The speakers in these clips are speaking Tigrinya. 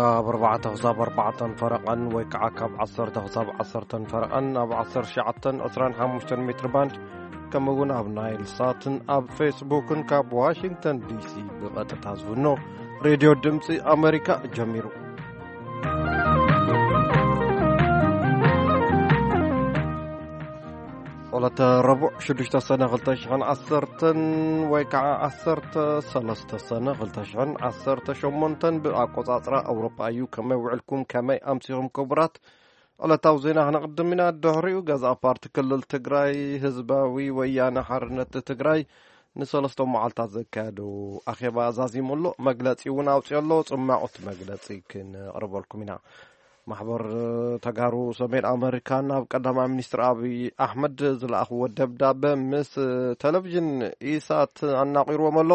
ካብ ኣርባዕተ ክሳብ ኣርባዕተን ፈረቓን ወይ ከዓ ካብ ዓሰርተ ክሳብ ዓሰርተን ፈረቓን ኣብ ዓሰርተ ሸዓተን ዕስራን ሓሙሽተን ሜትር ባንድ፣ ከምኡ እውን ኣብ ናይል ሳትን ኣብ ፌስቡክን ካብ ዋሽንግተን ዲሲ ብቐጥታ ዝፍኖ ሬድዮ ድምፂ ኣሜሪካ ጀሚሩ። ዕለተ ረቡዕ ሽዱሽተ ሰነ ክልተ ሽሕን ዓሰርተን ወይ ከዓ ዓሰርተ ሰለስተ ሰነ ክልተ ሽሕን ዓሰርተ ሸሞንተን ብኣቆፃፅራ ኣውሮጳ እዩ። ከመይ ውዕልኩም? ከመይ ኣምሲኹም ክቡራት? ዕለታዊ ዜና ክነቕድም ኢና። ድሕሪኡ ገዛእ ፓርቲ ክልል ትግራይ ህዝባዊ ወያነ ሓርነት ትግራይ ንሰለስተ መዓልታት ዘካየዶ ኣኼባ ዛዚሙ ኣሎ። መግለፂ እውን ኣውፅኦ ኣሎ። ፅማቑ እቲ መግለፂ ክንቕርበልኩም ኢና። ማሕበር ተጋሩ ሰሜን ኣመሪካ ናብ ቀዳማይ ሚኒስትር ኣብይ ኣሕመድ ዝለኣኽዎ ደብዳበ ምስ ቴሌቪዥን ኢሳት ኣናቒርዎም ኣሎ።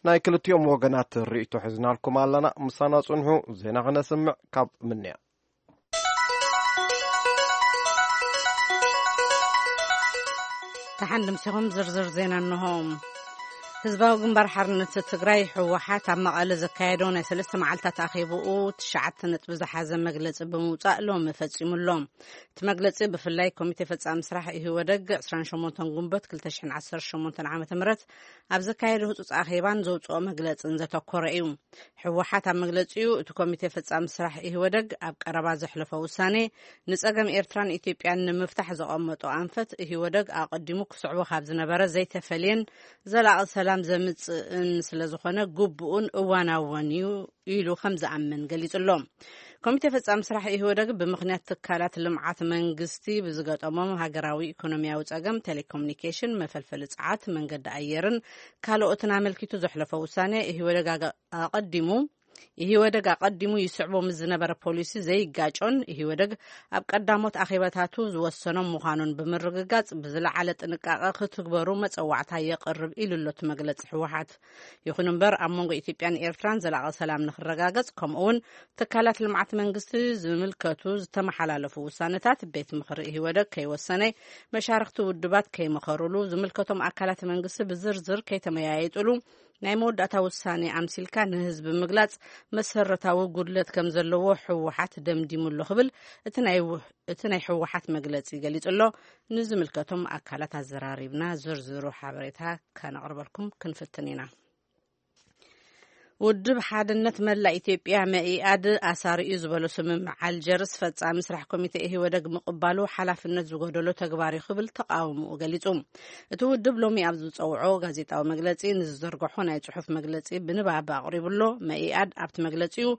ናይ ክልቲኦም ወገናት ርእይቶ ሒዝናልኩም ኣለና። ምሳና ጽንሑ። ዜና ክነስምዕ ካብ ምንያ። ተሓንድምሲኹም ዝርዝር ዜና እንሆ። ህዝባዊ ግንባር ሓርነት ትግራይ፣ ህወሓት፣ ኣብ መቐለ ዘካየዶ ናይ ሰለስተ መዓልታት ኣኼብኡ ትሽዓተ ነጥቢ ዝሓዘ መግለጺ ብምውጻእ ሎሚ ፈጺሙ ኣሎ። እቲ መግለጺ ብፍላይ ኮሚቴ ፈጻሚ ስራሕ ኢህወደግ ዕስራን ሸሞንተን ጉንበት ክልተ ሽሕን ዓሰርተ ሸሞንተን ዓመተ ምህረት ኣብ ዘካየዶ ህጹጽ ኣኼባን ዘውጽኦ መግለጽን ዘተኮረ እዩ። ህወሓት ኣብ መግለጺኡ፣ እቲ ኮሚቴ ፈጻሚ ስራሕ ኢህወደግ ኣብ ቀረባ ዘሕለፎ ውሳኔ ንጸገም ኤርትራን ኢትዮጵያን ንምፍታሕ ዘቐመጦ ኣንፈት ኢህወደግ ኣቐዲሙ ክስዕቦ ካብ ዝነበረ ዘይተፈልየን ዘላቒ ሰላም ዘምጽእን ስለ ዝኾነ ግቡእን እዋናውን እዩ ኢሉ ከም ዝኣምን ገሊጹ ኣሎ። ኮሚቴ ፈጻሚ ስራሕ ኢህወደግ ብምኽንያት ትካላት ልምዓት መንግስቲ ብዝገጠሞም ሃገራዊ ኢኮኖሚያዊ ጸገም ቴሌኮሙኒኬሽን፣ መፈልፈሊ ጸዓት፣ መንገዲ ኣየርን ካልኦትን ኣመልኪቱ ዘሕለፎ ውሳኔ ኢህወደግ ኣገ-፣ ኣቐዲሙ ኢህወደግ ኣቐዲሙ ይስዕቦ ምስ ዝነበረ ፖሊሲ ዘይጋጮን ኢህወደግ ኣብ ቀዳሞት ኣኼባታቱ ዝወሰኖም ምዃኑን ብምርግጋጽ ብዝለዓለ ጥንቃቐ ክትግበሩ መጸዋዕታ የቕርብ ኢሉ ኣሎ እቲ መግለጺ ህወሓት። ይኹን እምበር ኣብ መንጎ ኢትዮጵያን ኤርትራን ዘላቒ ሰላም ንክረጋገጽ ከምኡ እውን ትካላት ልምዓት መንግስቲ ዝምልከቱ ዝተመሓላለፉ ውሳነታት ቤት ምኽሪ ኢህወደግ ከይወሰነ፣ መሻርክቲ ውድባት ከይመኸሩሉ፣ ዝምልከቶም ኣካላት መንግስቲ ብዝርዝር ከይተመያየጡሉ ናይ መወዳእታ ውሳኔ ኣምሲልካ ንህዝቢ ምግላጽ መሰረታዊ ጉድለት ከም ዘለዎ ህወሓት ደምዲሙ ኣሎ ክብል እቲ ናይ ው-፣ እቲ ናይ ህወሓት መግለጺ ገሊጹ ኣሎ። ንዝምልከቶም ኣካላት ኣዘራሪብና ዝርዝሩ ሓበሬታ ከነቕርበልኩም ክንፍትን ኢና። ውድብ ሓድነት መላእ ኢትዮጵያ መኢኣድ ኣሳሪኡ ዝበሎ ስምምዕ ኣልጀርስ ፈጻሚ ስራሕ ኮሚቴ ኢህወደግ ምቕባሉ ሓላፍነት ዝጎደሎ ተግባር እዩ ክብል ተቃውሞኡ ገሊጹ። እቲ ውድብ ሎሚ ኣብ ዝጸውዖ ጋዜጣዊ መግለጺ ንዝዘርግሖ ናይ ጽሑፍ መግለጺ ብንባብ ኣቕሪቡ ኣሎ። መኢኣድ ኣብቲ መግለጺኡ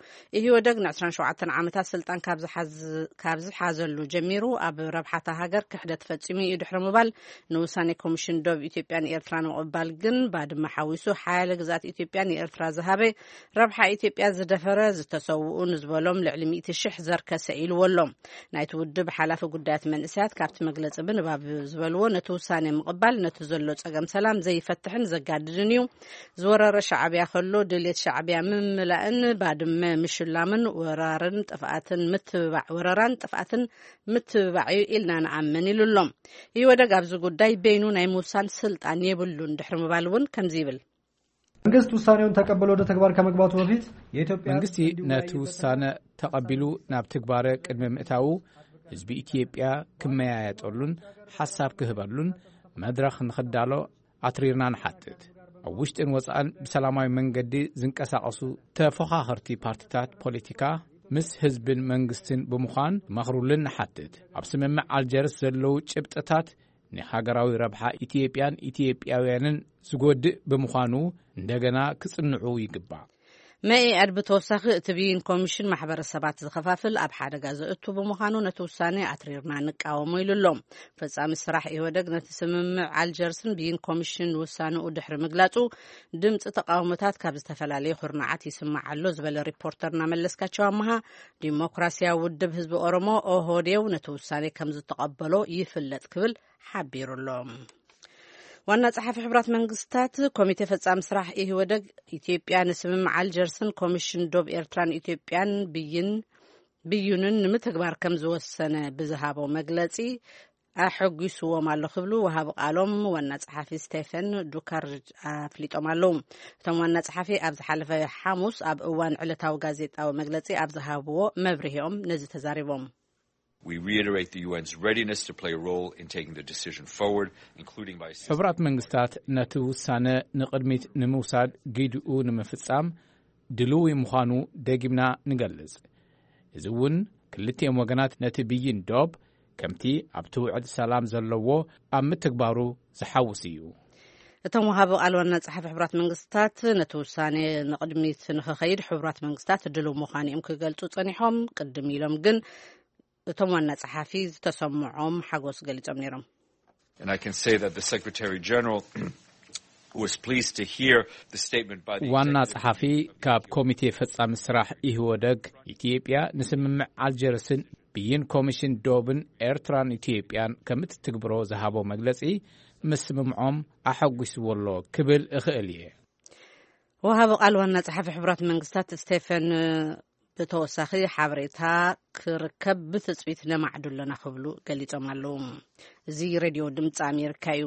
ኢህወደግ ንዕስራን ሸውዓተን ዓመታት ስልጣን ካብ ዝሓዝ-፣ ካብ ዝሓዘሉ ጀሚሩ ኣብ ረብሓታ ሃገር ክሕደት ፈጺሙ እዩ ድሕሪ ምባል ንውሳኔ ኮሚሽን ዶብ ኢትዮጵያን ኤርትራን ምቕባል ግን ባድመ ሓዊሱ ሓያለ ግዝኣት ኢትዮጵያ ንኤርትራ ዝሃበ፣ ረብሓ ኢትዮጵያ ዝደፈረ፣ ዝተሰውኡ ንዝበሎም ልዕሊ ሚእቲ ሽሕ ዘርከሰ ኢልዎ ኣሎ። ናይቲ ውድብ ሓላፊ ጉዳያት መንእሰያት ካብቲ መግለጺ ብንባብ ዝበልዎ፣ ነቲ ውሳኔ ምቕባል ነቲ ዘሎ ጸገም ሰላም ዘይፈትሕን ዘጋድድን እዩ። ዝወረረ ሻዕብያ ከሎ ድሌት ሻዕብያ ምምላእን ባድመ ምሽላምን ወራርን ጥፍኣትን ምትብባዕ፣ ወረራን ጥፍኣትን ምትብባዕ እዩ ኢልና ንኣምን ኢሉ ኣሎ። ኢህወደግ ኣብዚ ጉዳይ በይኑ ናይ ምውሳን ስልጣን የብሉን ድሕሪ ምባል እውን ከምዚ ይብል። መንግስት ውሳኔውን ተቀብሎ ወደ ተግባር ከመግባቱ በፊት የኢትዮጵያ መንግስቲ ነቲ ውሳነ ተቐቢሉ ናብ ትግባረ ቅድሚ ምእታዉ ህዝቢ ኢትዮጵያ ክመያየጠሉን ሓሳብ ክህበሉን መድረኽ ንኽዳሎ ኣትሪርና ንሓትት። ኣብ ውሽጥን ወጻእን ብሰላማዊ መንገዲ ዝንቀሳቐሱ ተፎኻኸርቲ ፓርቲታት ፖለቲካ ምስ ህዝብን መንግስትን ብምዃን ክመኽሩልን ንሓትት። ኣብ ስምምዕ ኣልጀርስ ዘለዉ ጭብጥታት ንሃገራዊ ረብሓ ኢትዮጵያን ኢትዮጵያውያንን ዝጎድእ ብምዃኑ እንደገና ክጽንዑ ይግባእ። መኢኣድ ብተወሳኺ እቲ ብይን ኮሚሽን ማሕበረሰባት ዝኸፋፍል ኣብ ሓደጋ ዘእቱ ብምዃኑ ነቲ ውሳኔ ኣትሪርና ንቃወሞ ኢሉ ኣሎ። ፈጻሚ ስራሕ ኢህወደግ ነቲ ስምምዕ ኣልጀርስን ብይን ኮሚሽን ውሳኔኡ ድሕሪ ምግላጹ ድምፂ ተቃውሞታት ካብ ዝተፈላለዩ ኩርናዓት ይስማዕ ኣሎ ዝበለ ሪፖርተርና መለስካቸው ኣመሃ፣ ዲሞክራሲያዊ ውድብ ህዝቢ ኦሮሞ ኦህዴው ነቲ ውሳኔ ከም ዝተቐበሎ ይፍለጥ ክብል ሓቢሩ ኣሎ። ዋና ጸሓፊ ሕቡራት መንግስታት ኮሚቴ ፈጻሚ ስራሕ ኢህወደግ ኢትዮጵያ ንስምምዕ ኣልጀርስን ኮሚሽን ዶብ ኤርትራን ኢትዮጵያን ብይን፣ ብይኑን ንምትግባር ከም ዝወሰነ ብዝሃቦ መግለጺ ኣሐጒስዎም ኣሎ ክብሉ ወሃቢ ቃሎም ዋና ጸሓፊ ስቴፈን ዱካርጅ ኣፍሊጦም ኣለዉ። እቶም ዋና ጸሓፊ ኣብ ዝሓለፈ ሓሙስ ኣብ እዋን ዕለታዊ ጋዜጣዊ መግለጺ ኣብ ዝሃብዎ መብርሂኦም ነዚ ተዛሪቦም። We reiterate the U N's readiness to play a role in taking the decision forward, including by assisting ሕቡራት መንግስታት ነቲ ውሳነ ንቕድሚት ንምውሳድ ጊድኡ ንምፍጻም ድልዊ ምዃኑ ደጊምና ንገልጽ። እዚ እውን ክልቲኦም ወገናት ነቲ ብይን ዶብ ከምቲ ኣብቲ ውዕል ሰላም ዘለዎ ኣብ ምትግባሩ ዝሓውስ እዩ። እቶም ወሃቢ ቃል ዋና ጸሓፊ ሕቡራት መንግስታት ነቲ ውሳኔ ንቕድሚት ንኽኸይድ ሕቡራት መንግስታት ድልው ምዃኑ እዮም ክገልጹ ጸኒሖም። ቅድም ኢሎም ግን እቶም ዋና ጸሓፊ ዝተሰምዖም ሓጎስ ገሊጾም ነይሮም። And I can say that the Secretary General was pleased to hear the statement by the ዋና executive ጸሓፊ ካብ ኮሚቴ ፈጻሚ ስራሕ ኢህወደግ ኢትዮጵያ ንስምምዕ ኣልጀርስን ብይን ኮሚሽን ዶብን ኤርትራን ኢትዮጵያን ከምትትግብሮ ዝሃቦ መግለጺ ምስምምዖም ኣሐጒስዎ ኣሎ ክብል እኽእል እየ። ወሃቢ ቃል ዋና ጸሓፊ ሕቡራት መንግስታት ስቴፈን ብተወሳኺ ሓበሬታ ክርከብ ብትጽቢት ነማዕዱ ኣለና ክብሉ ገሊጾም ኣለዉ። እዚ ሬድዮ ድምፂ ኣሜሪካ እዩ።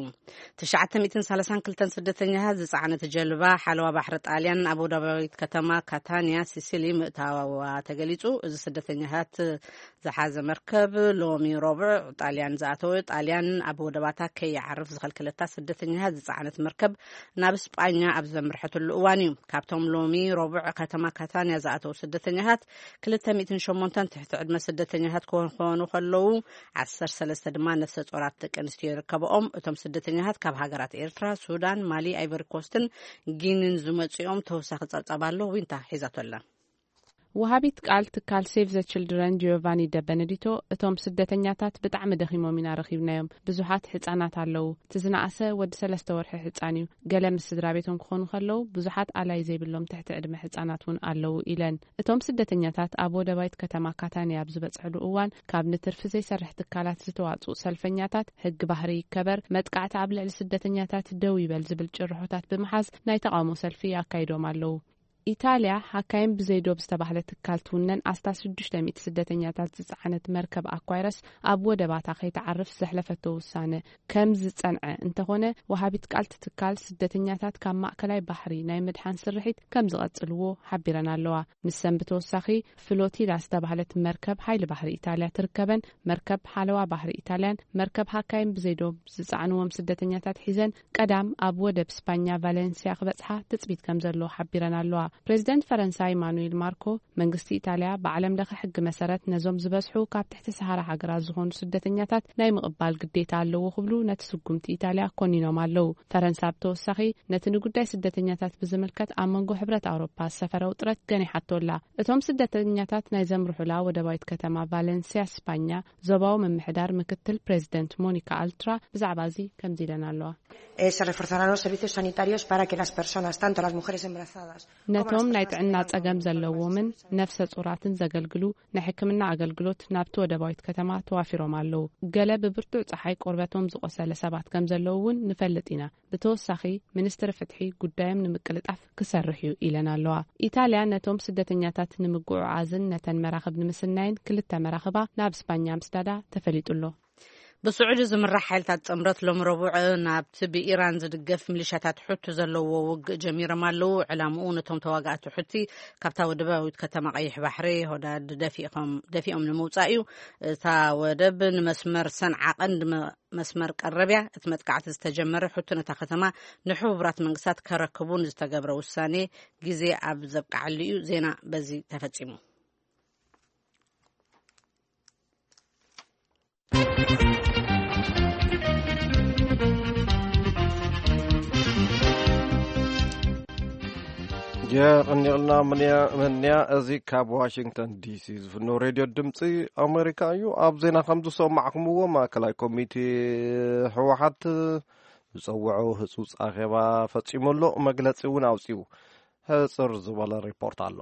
ትሽዓተ ሚእትን ሰላሳን ክልተን ስደተኛታት ዝጸዓነት ጀልባ ሓለዋ ባሕሪ ጣልያን ኣብ ወደባዊት ከተማ ካታንያ ሲሲሊ ምእታዋ ተገሊጹ። እዚ ስደተኛታት ዝሓዘ መርከብ ሎሚ ረቡዕ ጣልያን ዝኣተወ፣ ጣልያን ኣብ ወደባታ ከይዓርፍ ዝኸልከለታ ስደተኛታት ዝጸዓነት መርከብ ናብ ስጳኛ ኣብ ዘምርሐትሉ እዋን እዩ። ካብቶም ሎሚ ረቡዕ ከተማ ካታንያ ዝኣተዉ ስደተኛታት ክልተ ሚእትን ሸሞንተን ትሕቲ ዕድመ ስደተኛታት ክኾኑ ከለዉ፣ ዓሰርተ ሰለስተ ድማ ነፍሰ ጾራት ደቂ ኣንስትዮ ይርከብኦም። እቶም ስደተኛታት ካብ ሃገራት ኤርትራ፣ ሱዳን፣ ማሊ፣ ኣይቨሪ ኮስትን ጊኒን ዝመጽኦም ተወሳኺ ጸብጻብ ኣሎ። ዊንታ ሒዛቶ ኣላ። ወሃቢት ቃል ትካል ሴቭ ዘ ችልድረን ጂዮቫኒ ደበነዲቶ፣ እቶም ስደተኛታት ብጣዕሚ ደኺሞም ኢና ረኺብናዮም። ብዙሓት ህጻናት ኣለዉ። እቲ ዝነኣሰ ወዲ ሰለስተ ወርሒ ህጻን እዩ። ገለ ምስ ስድራ ቤቶም ክኾኑ ከለዉ፣ ብዙሓት ኣላይ ዘይብሎም ትሕቲ ዕድመ ህጻናት እውን ኣለዉ ኢለን። እቶም ስደተኛታት ኣብ ወደባይት ከተማ ካታንያ ኣብ ዝበጽሕሉ እዋን፣ ካብ ንትርፊ ዘይሰርሕ ትካላት ዝተዋጽኡ ሰልፈኛታት፣ ሕጊ ባህሪ ይከበር፣ መጥቃዕቲ ኣብ ልዕሊ ስደተኛታት ደው ይበል ዝብል ጭርሖታት ብምሓዝ ናይ ተቓውሞ ሰልፊ ኣካይዶም ኣለዉ። ኢታልያ፣ ሃካይም ብዘይ ዶብ ዝተባህለ ትካል ትውነን ኣስታት ሽዱሽተ ሚእቲ ስደተኛታት ዝጸዓነት መርከብ ኣኳይረስ ኣብ ወደባታ ከይትዓርፍ ዘሕለፈቶ ውሳነ ከም ዝጸንዐ እንተኾነ፣ ወሃቢት ቃል እቲ ትካል ስደተኛታት ካብ ማእከላይ ባሕሪ ናይ ምድሓን ስርሒት ከም ዝቐጽልዎ ሓቢረን ኣለዋ። ንሰን ብተወሳኺ፣ ፍሎቲላ ዝተባህለት መርከብ ሓይሊ ባሕሪ ኢታልያ ትርከበን፣ መርከብ ሓለዋ ባሕሪ ኢታልያን መርከብ ሃካይም ብዘይ ዶብ ዝጸዓንዎም ስደተኛታት ሒዘን ቀዳም ኣብ ወደብ ስፓኛ ቫሌንሲያ ክበጽሓ ትጽቢት ከም ዘሎ ሓቢረን ኣለዋ። ፕሬዚደንት ፈረንሳ ኢማኑኤል ማርኮ፣ መንግስቲ ኢታልያ ብዓለም ለኸ ሕጊ መሰረት ነዞም ዝበዝሑ ካብ ትሕቲ ሰሃራ ሃገራት ዝኾኑ ስደተኛታት ናይ ምቕባል ግዴታ ኣለዎ ክብሉ ነቲ ስጉምቲ ኢታልያ ኮኒኖም ኣለዉ። ፈረንሳ ብተወሳኺ ነቲ ንጉዳይ ስደተኛታት ብዝምልከት ኣብ መንጎ ሕብረት ኣውሮፓ ዝሰፈረ ውጥረት ገኒሓቶ ኣላ። እቶም ስደተኛታት ናይ ዘምርሑላ ወደባዊት ከተማ ቫሌንሲያ ስፓኛ ዞባዊ ምምሕዳር ምክትል ፕሬዚደንት ሞኒካ ኣልትራ ብዛዕባ እዚ ከምዚ ኢለን ኣለዋ። Eh, se reforzarán los servicios sanitarios para que las personas, tanto las mujeres embarazadas como las ነቶም ናይ personas ጥዕና que ጸገም ዘለዎምን ነፍሰ ጾራትን ዘገልግሉ ናይ ሕክምና ኣገልግሎት ናብቲ ወደባዊት ከተማ ተዋፊሮም ኣለዉ። ገለ ብብርቱዕ ጸሓይ ቆርበቶም ዝቖሰለ ሰባት ከም ዘለዉ እውን ንፈልጥ ኢና። ብተወሳኺ፣ ሚኒስትሪ ፍትሒ ጉዳዮም ንምቅልጣፍ ክሰርሕ እዩ ኢለን ኣለዋ። ኢታልያ ነቶም ስደተኛታት ንምጉዕዓዝን ነተን መራኽብ ንምስናይን ክልተ መራኽባ ናብ ስፓኛ ምስዳዳ ተፈሊጡ ኣሎ። ብስዑዲ ዝምራሕ ሓይልታት ጥምረት ሎም ረቡዕ ናብቲ ብኢራን ዝድገፍ ሚሊሻታት ሑቲ ዘለዎ ውግእ ጀሚሮም ኣለዉ። ዕላምኡ ነቶም ተዋጋእቲ ሑቲ ካብታ ወደባዊት ከተማ ቀይሕ ባሕሪ ሆዳድ ደፊኦም፣ ደፊኦም ንምውጻእ እዩ። እታ ወደብ ንመስመር ሰንዓ ቀንዲ መ-፣ መስመር ቀረብያ። እቲ መጥቃዕቲ ዝተጀመረ ሑቲ ነታ ከተማ ንሕቡራት መንግስታት ከረክቡ ንዝተገብረ ውሳኔ ግዜ ኣብ ዘብቅዓሉ እዩ። ዜና በዚ ተፈጺሙ። የቐኒልና ምንያ-፣ መንያ። እዚ ካብ ዋሽንግተን ዲሲ ዝፍኖ ሬድዮ ድምፂ ኣሜሪካ እዩ። ኣብ ዜና ከም ዝሰማዕኩምዎ፣ ማእከላይ ኮሚቴ ህወሓት ዝፀውዖ ህፁፅ ኣኼባ ፈፂሙ ኣሎ። መግለፂ እውን ኣውፂኡ። ሕፅር ዝበለ ሪፖርት ኣሎ።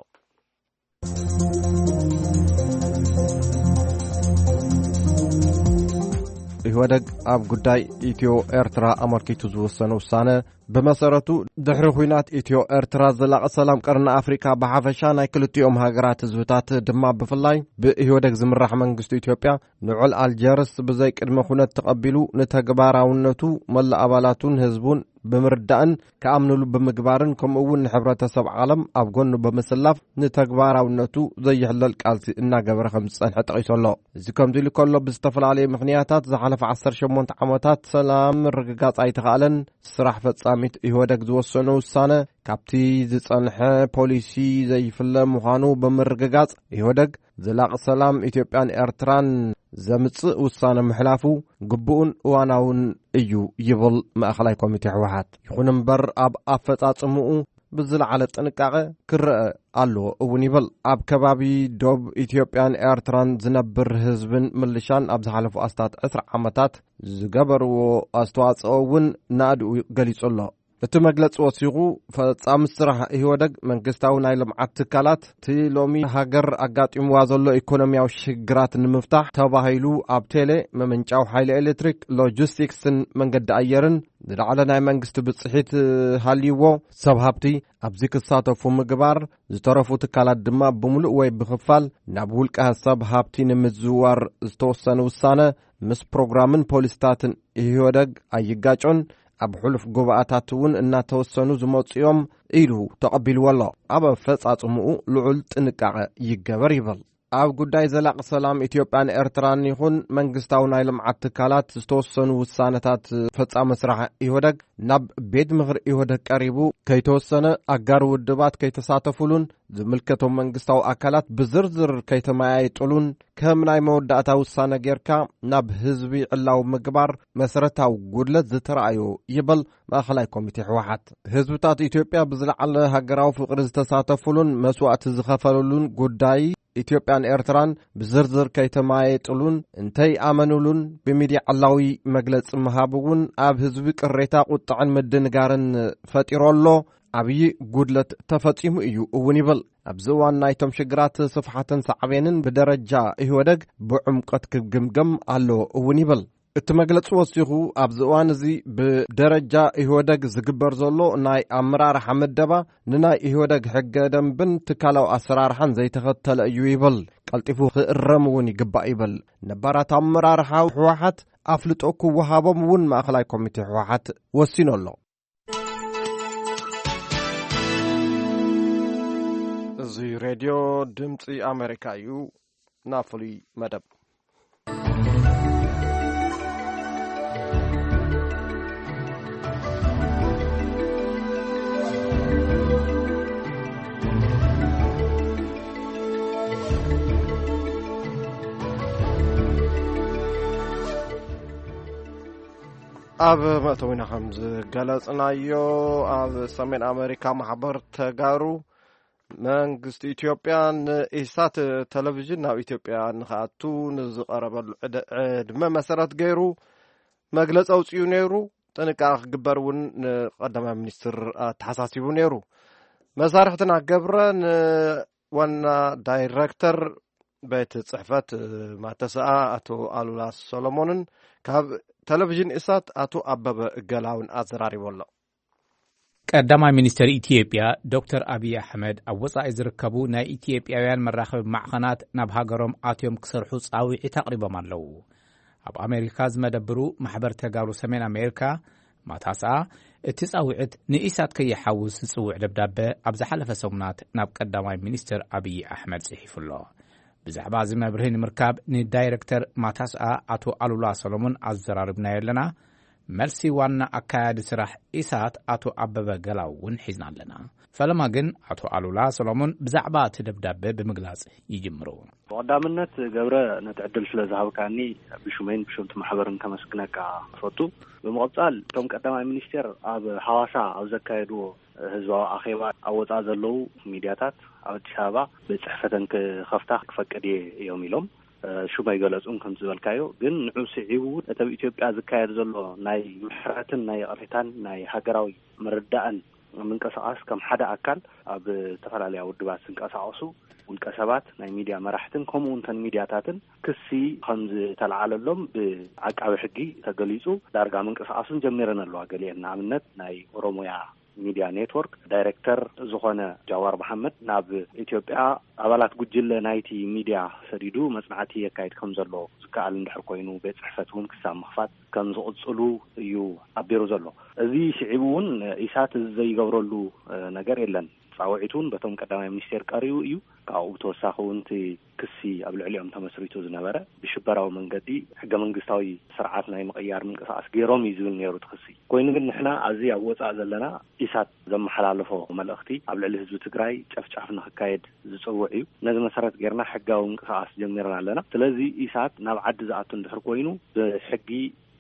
ኢህወደግ ኣብ ጉዳይ ኢትዮ ኤርትራ ኣመልኪቱ ዝወሰነ ውሳነ፣ ብመሰረቱ ድሕሪ ኲናት ኢትዮ ኤርትራ ዘላቒ ሰላም ቀርኒ ኣፍሪካ ብሓፈሻ ናይ ክልቲኦም ሃገራት ህዝብታት ድማ ብፍላይ ብኢህወደግ ዝምራሕ መንግስቲ ኢትዮጵያ ንዑል ኣልጀርስ ብዘይ ቅድመ ኩነት ተቐቢሉ ንተግባራውነቱ መላእ ኣባላቱን ህዝቡን ብምርዳእን ክኣምንሉ ብምግባርን ከምኡ እውን ንሕብረተሰብ ዓለም ኣብ ጎኑ ብምስላፍ ንተግባራውነቱ ዘይሕለል ቃልሲ እናገበረ ከም ዝጸንሐ ጠቒሱ ኣሎ። እዚ ከምዚ ኢሉ ከሎ ብዝተፈላለየ ምኽንያታት ዝሓለፈ ዓሰርተ ሸሞንተ ዓመታት ሰላም ምርግጋጽ ኣይተኻእለን። ስራሕ ፈጻሚት ኢህወደግ ዝወሰኖ ውሳነ ካብቲ ዝጸንሐ ፖሊሲ ዘይፍለ ምዃኑ ብምርግጋጽ ኢህወደግ ዘላቒ ሰላም ኢትዮጵያን ኤርትራን ዘምጽእ ውሳነ ምሕላፉ ግቡእን እዋናውን እዩ ይብል ማእኸላይ ኮሚቴ ህወሓት። ይኹን እምበር ኣብ ኣፈጻጽምኡ ብዝለዓለ ጥንቃቐ ክረአ ኣለዎ እውን ይብል። ኣብ ከባቢ ዶብ ኢትዮጵያን ኤርትራን ዝነብር ህዝብን ምልሻን ኣብ ዝሓለፉ ኣስታት ዕስራ ዓመታት ዝገበርዎ ኣስተዋጽኦ እውን ናእድኡ ገሊጹ ኣሎ። እቲ መግለጺ ወሲኹ፣ ፈጻሚ ስራሕ ኢህወደግ መንግስታዊ ናይ ልምዓት ትካላት፣ እቲ ሎሚ ሃገር ኣጋጢምዋ ዘሎ ኢኮኖሚያዊ ሽግራት ንምፍታሕ ተባሂሉ ኣብ ቴሌ፣ ምምንጫው ሓይሊ ኤሌክትሪክ፣ ሎጂስቲክስን መንገዲ ኣየርን ዝለዓለ ናይ መንግስቲ ብጽሒት ሃልይዎ፣ ሰብ ሃብቲ ኣብዚ ክሳተፉ ምግባር፣ ዝተረፉ ትካላት ድማ ብምሉእ ወይ ብኽፋል ናብ ውልቀ ሰብ ሃብቲ ንምዝውዋር ዝተወሰነ ውሳነ ምስ ፕሮግራምን ፖሊስታትን ኢህወደግ ኣይጋጮን፣ ኣብ ሕሉፍ ጉባኣታት እውን እናተወሰኑ ዝመጹ እዮም ኢሉ ተቐቢልዎ ኣሎ። ኣብ ኣፈጻጽምኡ ልዑል ጥንቃቐ ይገበር ይብል። ኣብ ጉዳይ ዘላቂ ሰላም ኢትዮጵያን ኤርትራን ይኹን መንግስታዊ ናይ ልምዓት ትካላት ዝተወሰኑ ውሳነታት ፈጻሚ ስራሕ ኢህወደግ ናብ ቤት ምኽሪ ኢህወደግ ቀሪቡ ከይተወሰነ፣ ኣጋር ውድባት ከይተሳተፉሉን ዝምልከቶም መንግስታዊ ኣካላት ብዝርዝር ከይተመያየጡሉን ከም ናይ መወዳእታ ውሳነ ጌርካ ናብ ህዝቢ ዕላዊ ምግባር መሰረታዊ ጉድለት ዝተረኣዮ ይብል ማእኸላይ ኮሚቴ ህወሓት። ህዝብታት ኢትዮጵያ ብዝለዓለ ሃገራዊ ፍቕሪ ዝተሳተፉሉን መስዋእቲ ዝኸፈሉሉን ጉዳይ ኢትዮጵያን ኤርትራን ብዝርዝር ከይተመያየጡሉን እንተይኣመኑሉን ብሚድያ ዕላዊ መግለጺ ምሃብ እውን ኣብ ህዝቢ ቅሬታ፣ ቁጥዐን ምድንጋርን ፈጢሩ ኣሎ። ዓብዪ ጉድለት ተፈጺሙ እዩ እውን ይብል። ኣብዚ እዋን ናይቶም ሽግራት ስፍሓትን ሳዕቤንን ብደረጃ ኢህወደግ ብዕምቆት ክግምገም ኣለዎ እውን ይብል። እቲ መግለጺ ወሲኹ፣ ኣብዚ እዋን እዚ ብደረጃ ኢህወደግ ዝግበር ዘሎ ናይ ኣመራርሓ ምደባ ንናይ ኢህወደግ ሕገ ደንብን ትካላዊ ኣሰራርሓን ዘይተኸተለ እዩ ይብል። ቀልጢፉ ክእረም እውን ይግባእ ይብል። ነባራት ኣመራርሓ ህወሓት ኣፍልጦ ክወሃቦም እውን ማእኸላይ ኮሚቴ ህወሓት ወሲኑ ኣሎ። እዚ ሬድዮ ድምፂ ኣሜሪካ እዩ። ናብ ፍሉይ መደብ። ኣብ መእተዊና ከም ዝገለጽናዮ፣ ኣብ ሰሜን ኣሜሪካ ማሕበር ተጋሩ መንግስቲ ኢትዮጵያ ንኢሳት ቴሌቪዥን ናብ ኢትዮጵያ ንኽኣቱ ንዝቐረበሉ ዕደ-፣ ዕድመ መሰረት ገይሩ መግለጺ ኣውጺኡ ነይሩ። ጥንቃቐ ክግበር እውን ንቀዳማይ ሚኒስትር ኣተሓሳሲቡ ነይሩ። መሳርሕትና ገብረ ንዋና ዳይሬክተር ቤት ጽሕፈት ማተሰኣ ኣቶ ኣሉላ ሰሎሞንን ካብ ቴሌቪዥን ኢሳት ኣቶ ኣበበ ገላውን ኣዘራሪቡ ኣሎ። ቀዳማይ ሚኒስትር ኢትዮጵያ ዶክተር ኣብይ ኣሕመድ ኣብ ወጻኢ ዝርከቡ ናይ ኢትዮጵያውያን መራኸቢ ማዕኸናት ናብ ሃገሮም ኣትዮም ክሰርሑ ጻውዒት ኣቕሪቦም ኣለዉ። ኣብ ኣሜሪካ ዝመደብሩ ማሕበር ተጋሩ ሰሜን ኣሜሪካ ማታስኣ፣ እቲ ጻውዒት ንኢሳት ከይሓውስ ዝጽውዕ ደብዳበ ኣብ ዝሓለፈ ሰሙናት ናብ ቀዳማይ ሚኒስትር ኣብይ ኣሕመድ ጽሒፉ ኣሎ። ብዛዕባ እዚ መብርሂ ንምርካብ ንዳይረክተር ማታስኣ ኣቶ ኣሉላ ሰሎሞን ኣዘራሪብናዮ ኣለና። መልሲ ዋና ኣካያዲ ስራሕ ኢሳት ኣቶ ኣበበ ገላው እውን ሒዝና ኣለና። ፈለማ ግን ኣቶ ኣሉላ ሰሎሞን ብዛዕባ እቲ ደብዳበ ብምግላጽ ይጅምሩ። ብቐዳምነት ገብረ፣ ነቲ ዕድል ስለ ዝሃብካኒ ብሹመይን ብሹም እቲ ማሕበርን ከመስግነካ እፈቱ። ብምቕጻል እቶም ቀዳማይ ሚኒስቴር ኣብ ሓዋሳ ኣብ ዘካየድዎ ህዝባዊ ኣኼባ ኣብ ወጻኢ ዘለዉ ሚድያታት ኣብ ኣዲስ ኣበባ ቤት ጽሕፈተን ክኸፍታ ክፈቅድ እየ እዮም ኢሎም። እ፣ ሹም ኣይገለጹን ከም ዝበልካዮ፣ ግን ንዑ ስዒቡ እውን እቲ ኣብ ኢትዮጵያ ዝካየድ ዘሎ ናይ ምሕረትን ናይ ይቕሬታን ናይ ሃገራዊ ምርዳእን ምንቅስቃስ ከም ሓደ ኣካል ኣብ ዝተፈላለያ ውድባት ዝንቀሳቀሱ ውልቀ ሰባት፣ ናይ ሚድያ መራሕትን ከምኡ እውን ተን ሚድያታትን ክሲ ከም ዝተለዓለሎም ብዓቃቢ ሕጊ ተገሊጹ። ዳርጋ ምንቅስቃሱን ጀሚረን ኣለዋ። ገሊአን ንኣብነት ናይ ኦሮሞያ ሚድያ ኔትወርክ ዳይሬክተር ዝኾነ ጃዋር መሓመድ ናብ ኢትዮጵያ ኣባላት ጉጅለ ናይቲ ሚድያ ሰዲዱ መጽናዕቲ የካይድ ከም ዘሎ ዝከኣል እንድሕር ኮይኑ ቤት ጽሕፈት እውን ክሳብ ምኽፋት ከም ዝቕጽሉ እዩ ኣቢሩ ዘሎ። እዚ ስዒቡ እውን ኢሳት እዚ ዘይገብረሉ ነገር የለን። ጻውዒት እውን በቶም ቀዳማይ ሚኒስቴር ቀሪቡ እዩ። ካብኡ ብተወሳኺ እውን እቲ ክሲ ኣብ ልዕሊኦም ተመስሪቱ ዝነበረ ብሽበራዊ መንገዲ ሕገ መንግስታዊ ስርዓት ናይ ምቕያር ምንቅስቃስ ገይሮም እዩ ዝብል ነይሩ እቲ ክሲ። ኮይኑ ግን ንሕና ኣብዚ ኣብ ወፃእ ዘለና ኢሳት ዘመሓላለፎ መልእኽቲ ኣብ ልዕሊ ህዝቢ ትግራይ ጨፍጫፍ ንክካየድ ዝፅውዕ እዩ። ነዚ መሰረት ጌርና ሕጋዊ ምንቅስቃስ ጀሚርና ኣለና። ስለዚ ኢሳት ናብ ዓዲ ዝኣቱ እንድሕር ኮይኑ ብሕጊ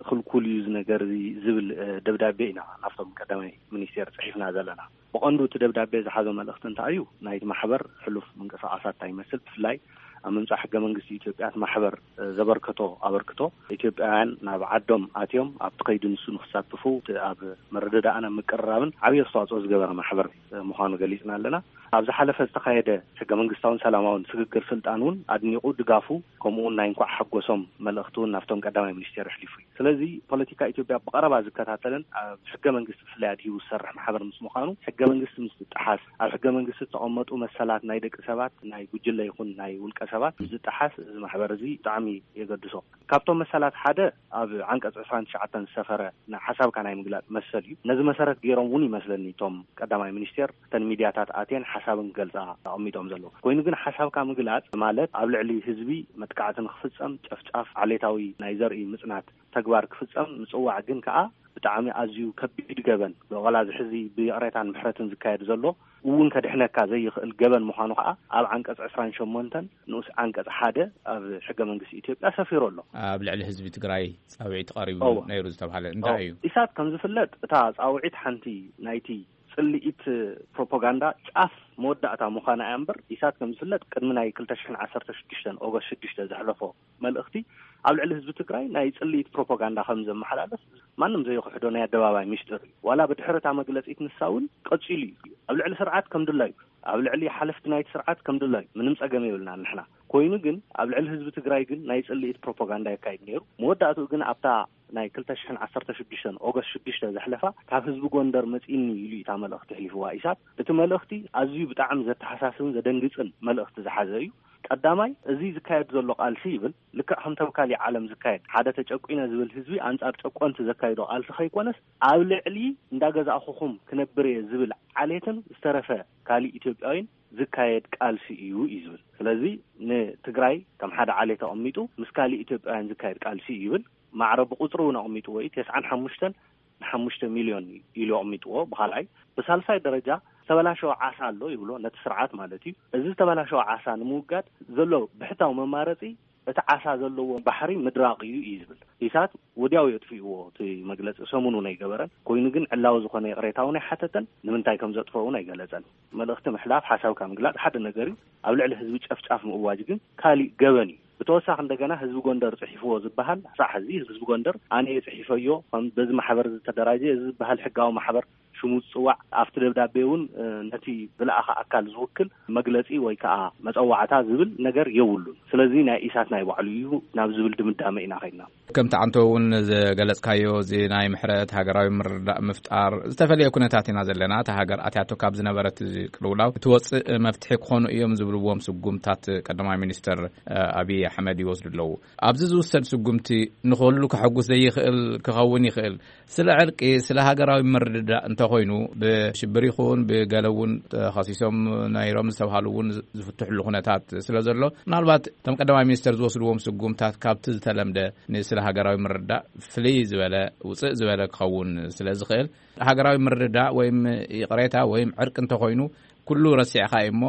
ክልኩል እዩ እዚ ነገር እዚ ዝብል ደብዳቤ ኢና ናብቶም ቀዳማይ ሚኒስቴር ፅሒፍና ዘለና። ብቐንዱ እቲ ደብዳቤ ዝሓዞ መልእኽቲ እንታይ እዩ? ናይቲ ማሕበር ሕሉፍ ምንቅስቃሳት እንታይ ይመስል? ብፍላይ ኣብ ምምፃእ ሕገ መንግስቲ ኢትዮጵያ እቲ ማሕበር ዘበርከቶ ኣበርክቶ ኢትዮጵያውያን ናብ ዓዶም ኣትዮም ኣብቲ ከይዲ ንሱ ንክሳትፉ እቲ ኣብ ምርድዳእን ኣብ ምቅርራብን ዓብዪ ኣስተዋፅኦ ዝገበረ ማሕበር ምዃኑ ገሊፅና ኣለና። ኣብ ዝሓለፈ ዝተኻየደ ሕገ መንግስታውን ሰላማውን ስግግር ስልጣን እውን ኣድኒቑ ድጋፉ ከምኡ እውን ናይ እንኳዕ ሓጎሶም መልእኽቲ እውን ናብቶም ቀዳማይ ሚኒስቴር ኣሕሊፉ እዩ። ስለዚ ፖለቲካ ኢትዮጵያ ብቐረባ ዝከታተልን ኣብ ሕገ መንግስቲ ብፍላይ ኣድሂቡ ዝሰርሕ ማሕበር ምስ ምዃኑ ሕገ መንግስቲ ምስ ዝጠሓስ፣ ኣብ ሕገ መንግስቲ ዝተቐመጡ መሰላት ናይ ደቂ ሰባት ናይ ጉጅለ ይኹን ናይ ውልቀ ሰባት ምስ ዝጠሓስ እዚ ማሕበር እዚ ብጣዕሚ የገድሶ። ካብቶም መሰላት ሓደ ኣብ ዓንቀፅ ዕስራን ትሽዓተን ዝሰፈረ ናይ ሓሳብካ ናይ ምግላፅ መሰል እዩ። ነዚ መሰረት ገይሮም እውን ይመስለኒ እቶም ቀዳማይ ሚኒስቴር እተን ሚድያታት ኣትየን ሓሳብን ክገልፃ ኣቐሚጦም ዘለዉ። ኮይኑ ግን ሓሳብካ ምግላፅ ማለት ኣብ ልዕሊ ህዝቢ መጥቃዕቲ ንክፍፀም፣ ጨፍጫፍ፣ ዓሌታዊ ናይ ዘርኢ ምፅናት ተግባር ክፍፀም ምፅዋዕ ግን ከዓ ብጣዕሚ ኣዝዩ ከቢድ ገበን፣ ብቐላዚ ሕዚ ብይቕሬታን ምሕረትን ዝካየድ ዘሎ እውን ከድሕነካ ዘይኽእል ገበን ምዃኑ ከዓ ኣብ ዓንቀፅ ዕስራን ሸሞንተን ንኡስ ዓንቀፅ ሓደ ኣብ ሕገ መንግስቲ ኢትዮጵያ ሰፊሩ ኣሎ። ኣብ ልዕሊ ህዝቢ ትግራይ ፃውዒት ቀሪቡ እወ። ነይሩ ዝተባሃለ እንታይ እወ። እዩ? ኢሳት ከም ዝፍለጥ እታ ፃውዒት ሓንቲ ናይቲ ጽልኢት ፕሮፓጋንዳ ጫፍ መወዳእታ ምዃና እያ እምበር፣ ኢሳት ከም ዝፍለጥ ቅድሚ ናይ ክልተ ሽሕን ዓሰርተ ሽዱሽተን ኦገስት ሽዱሽተ ዘሕለፎ መልእኽቲ ኣብ ልዕሊ ህዝቢ ትግራይ ናይ ጽልኢት ፕሮፓጋንዳ ከም ዘመሓላልፍ ማንም ዘይክሕዶ ናይ ኣደባባይ ሚስጥር እዩ። ዋላ ብድሕሪ እታ መግለጺት ንሳ እውን ቀጺሉ እዩ። ኣብ ልዕሊ ስርዓት ከም ድላዩ፣ ኣብ ልዕሊ ሓለፍቲ ናይቲ ስርዓት ከም ድላዩ ምንም ጸገም የብልናን ንሕና። ኮይኑ ግን ኣብ ልዕሊ ህዝቢ ትግራይ ግን ናይ ጽልኢት ፕሮፓጋንዳ የካይድ ነይሩ። መወዳእትኡ ግን ኣብታ ናይ ክልተ ሽሕን ዓሰርተ ሽዱሽተን ኦገስት ሽዱሽተ ዘሕለፋ ካብ ህዝቢ ጎንደር መጺእኒ ኢሉ እዩ እታ መልእኽቲ ኣሕሊፍዋ ኢሳት። እቲ መልእኽቲ ኣዝዩ ብጣዕሚ ዘተሓሳስብን ዘደንግጽን መልእኽቲ ዝሓዘ እዩ። ቀዳማይ፣ እዚ ዝካየድ ዘሎ ቃልሲ ይብል ልክዕ ከም ተምካሊ ዓለም ዝካየድ ሓደ ተጨቁነ ዝብል ህዝቢ ኣንጻር ጨቆንቲ ዘካይዶ ቃልሲ ከይኮነስ ኣብ ልዕሊ እንዳገዛእኹኹም ክነብር እየ ዝብል ዓሌትን ዝተረፈ ካሊእ ኢትዮጵያዊን ዝካየድ ቃልሲ እዩ እዩ ዝብል። ስለዚ ንትግራይ ከም ሓደ ዓሌት ኣቐሚጡ ምስ ካሊእ ኢትዮጵያውያን ዝካየድ ቃልሲ እዩ ይብል። ማዕረ ብቁፅሪ እውን ኣቕሚጥዎ እዩ። ተስዓን ሓሙሽተን ንሓሙሽተ ሚልዮን ኢሉ ኣቕሚጥዎ። ብኻልኣይ ብሳልሳይ ደረጃ ዝተበላሸወ ዓሳ ኣሎ ይብሎ ነቲ ስርዓት ማለት እዩ። እዚ ዝተበላሸወ ዓሳ ንምውጋድ ዘሎ ብሕታዊ መማረፂ እቲ ዓሳ ዘለዎ ባሕሪ ምድራቕ እዩ እዩ ዝብል። ኢሳት ወዲያው የጥፍእዎ እቲ መግለፂ ሰሙኑ ናይ ገበረን ኮይኑ ግን ዕላዊ ዝኾነ ይቕሬታ እውን ኣይሓተተን። ንምንታይ ከም ዘጥፍኦ እውን ኣይገለፀን። መልእኽቲ ምሕላፍ ሓሳብካ ምግላፅ ሓደ ነገር እዩ። ኣብ ልዕሊ ህዝቢ ጨፍጫፍ ምእዋጅ ግን ካሊእ ገበን እዩ። ብተወሳኺ እንደገና ህዝቢ ጎንደር ፅሒፍዎ ዝበሃል ሳሕ እዚ ህዝቢ ጎንደር ኣነ እየ ፅሒፈዮ ከም በዚ ማሕበር ዝተደራጀ እዚ ዝበሃል ሕጋዊ ማሕበር ሽሙ ዝፅዋዕ ኣብቲ ደብዳቤ እውን ነቲ ዝለኣኸ ኣካል ዝውክል መግለፂ ወይ ከዓ መፀዋዕታ ዝብል ነገር የብሉን። ስለዚ ናይ ኢሳት ናይ ባዕሉ እዩ ናብ ዝብል ድምዳመ ኢና ከይድና። ከምቲ ዓንቶ እውን ዝገለፅካዮ እዚ ናይ ምሕረት ሃገራዊ ምርዳእ ምፍጣር ዝተፈለየ ኩነታት ኢና ዘለና። እታ ሃገር ኣትያቶ ካብ ዝነበረት ቅልውላው ክትወፅእ መፍትሒ ክኾኑ እዮም ዝብልዎም ስጉምታት ቀዳማይ ሚኒስትር ኣብይ ኣሕመድ ይወስዱ ኣለዉ። ኣብዚ ዝውሰድ ስጉምቲ ንኹሉ ከሐጉስ ዘይኽእል ክኸውን ይኽእል። ስለ ዕርቂ፣ ስለ ሃገራዊ ምርድዳእ እንተኾይኑ ብሽብር ይኹን ብገለ እውን ተኸሲሶም ነይሮም ዝተባሃሉ እውን ዝፍትሕሉ ኩነታት ስለ ዘሎ ምናልባት እቶም ቀዳማይ ሚኒስትር ዝወስድዎም ስጉምታት ካብቲ ዝተለምደ ንስለ ሃገራዊ ምርዳእ ፍልይ ዝበለ ውፅእ ዝበለ ክኸውን ስለ ዝኽእል ሃገራዊ ምርድዳእ ወይም ይቕሬታ ወይም ዕርቂ እንተኾይኑ ኩሉ ረሲዕካ እዩ እሞ